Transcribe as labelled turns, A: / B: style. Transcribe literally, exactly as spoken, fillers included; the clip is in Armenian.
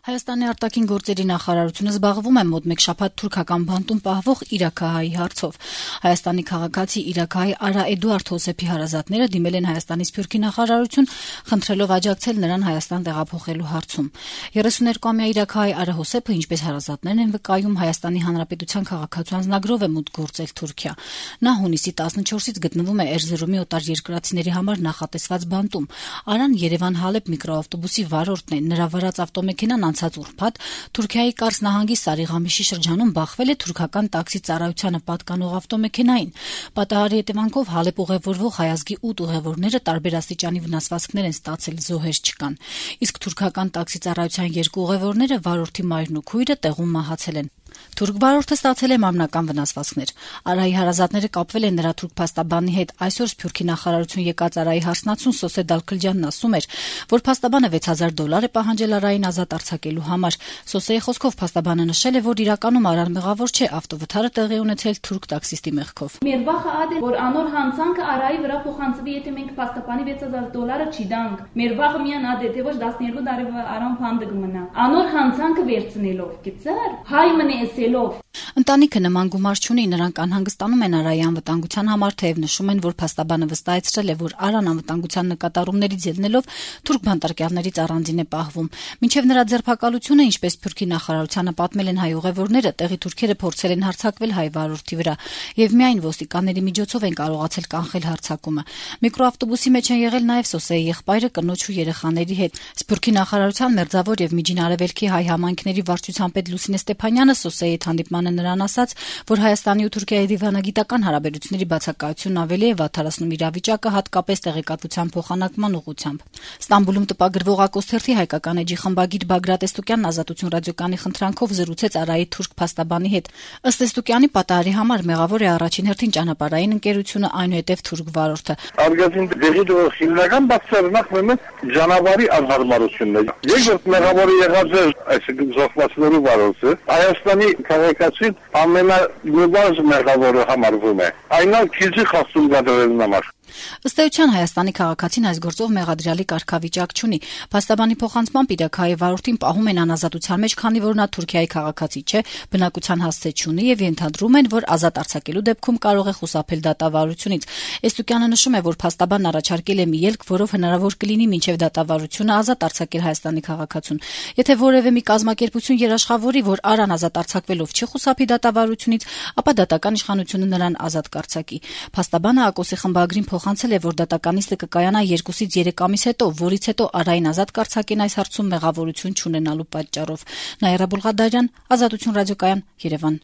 A: Հայաստանի արտաքին գործերի նախարարությունը զբաղվում է մոտ մեկ շաբաթ թուրքական բանտում պահվող իրաքահայի հարցով։ Հայաստանի քաղաքացի իրաքահայ Արա Էդուարդ Հոսեփի հարազատները դիմել են Հայաստանի սփյուռքի նախարարություն, խնդրելով աջակցել նրան Հայաստան տեղափոխելու հարցում։ երեսուներկուամյա իրաքահայ Արա Հոսեփը, ինչպես հարազատներն են վկայում, Հայաստանի Հանրապետության քաղաքացու անձնագրով է մուտք գործել Թուրքիա։ Նա հունիսի տասնչորսից գտնվում է Էրզրումի օտարերկրացիների համար նախատեսված բանտում։ Արան Երևան-Հալեբ միկրոավտոբուսի վարորդն է։ Նրա վարած ավտոմեքենան անցած ուրբաթ Թուրքիայի Կարս նահանգի Սարիղամիշի շրջանում բախվել է թուրքական տաքսի ծառայությանը պատկանող ավտոմեքենային։ Պատահարի հետևանքով Հալեբ ուղևորվող հայազգի ութ ուղևորները տարբեր աստիճանի վնասվածքներ են ստացել, զոհեր չկան։ Իսկ թուրքական տաքսի ծառայության երկու ուղևորները, վարորդի մայրն ու քույրը, տեղում մահացել են։ Թուրք վարորդը ստացել է մարմնական վնասվածքներ։ Արայի հարազատները կապվել են նրա թուրք փաստաբանի հետ։ Այսօր Սփյուռքի նախարարություն եկած Արայի հարսնացուն Սոսե Դալքլջյանն ասում էր, որ փաստաբանը վեց հազար դոլար է պահանջել Արային ազատ արձակելու համար։ Սոսեի խոսքով փաստաբանը նշել է, որ իրականում Արան մեղավոր չէ, ավտովթարը տեղի ունեցել թուրք տաքսիստի մեղքով։
B: Մեր վախը ադե որ անոր հանցանքը Արայի վրա փոխանցվի, եթե մենք փաստաբանի վեց հազար դոլարը չդանք։ Մեր վախը միան ադե թե ոչ տասներկու տարի Արան փանդը կմնա։ Անոր հանցանքը վերցնելով, գիտեր, հայ մնե
A: Ընտանիքը նման գումար չունի, նրանք անհանգստանում են Արայի անվտանգության համար, թեև նշում են, որ փաստաբանը վստահեցրել է, որ Արան անվտանգության նկատառումներից ելնելով թուրք բանտարկյալներից առանձին է պահվում։ Մինչև նրա ձերբակալությունը, ինչպես Սփյուռքի նախարարությանը պատմել են հայ ուղևորները, տեղի թուրքերը փորձել են հարձակվել հայ վարորդի վրա, եւ միայն ոստիկանների միջոցով են կարողացել կանխել հարձակումը։ Միկրոավտոբուսի մեջ են եղել նաեւ Սոսեի եղբայրը, կնոջ ու երեխաների հետ։ Սփյուռքի նախարարության մերձավոր եւ միջին արևելքի հայ համայնքների վարչության պետ Լուսինե Ստեփանյանը Սոսեի հանդիպմանը նրան ասաց, որ Հայաստանի ու Թուրքիայի դիվանագիտական հարաբերությունների բացակայությունն ավելի է վատթարացնում իրավիճակը, հատկապես տեղեկատվության փոխանակման ուղղությամբ։ Ստամբուլում տպագրվող Ակոսթերթի հայկական էջի խմբագիր Բագրատ Էստուկյանն Ազատություն ռադիոկայանի խնդրանքով զրուցեց Արայի թուրք փաստաբանի հետ։ Ըստ Էստուկյանի, պատահարի համար մեղավոր է առաջին հերթին ճանապարհային ընկերությունը, այնուհետև թուրք վարորդը։
C: Արգազին դեղի դու հիմնական բացառը նախ ճանապարհի անհարմարությունն է։ Երկրորդ մեղավորը եղած է այսինքն զոհվածների վարորդը։ Հայաստանի քաղաքացին ամենալուրջ մեղավորը համարվում է։ Այնա քիզի խախտում կատարելու համար։
A: Ըստ էության Հայաստանի քաղաքացին այս գործով մեղադրյալի կարգավիճակ չունի։ Փաստաբանի փոխանցմամբ իրաքահայի վարորդին պահում են անազատության մեջ, քանի որ նա Թուրքիայի քաղաքացի չէ, բնակության հասցե չունի եւ ենթադրում են, որ ազատ արձակելու դեպքում կարող է խուսափել դատավարությունից։ Էստուկյանը նշում է, որ փաստաբանն առաջարկել է մի ելք, որով հնարավոր կլինի մինչև դատավարությունը ազատ արձակել Հայաստանի քաղաքացուն։ Եթե որևէ մի կազմակերպություն երաշխավորի, որ Արան ազատ արձակվելով չի խուսափի դատավարությունից, ապա դատական իշխանությունը նրան ազատ կարձակի։ Փաստաբանը Ակոսի խմբագրին փոխանցել է, որ դատականիստը կկայանա երկուսից երեք ամիս հետո, որից հետո Արային ազատ կարձակեն այս հարցում մեղավորություն չունենալու պատճառով։ Նաիրա Բուլղադարյան, Ազատություն ռադիոկայան, Երևան։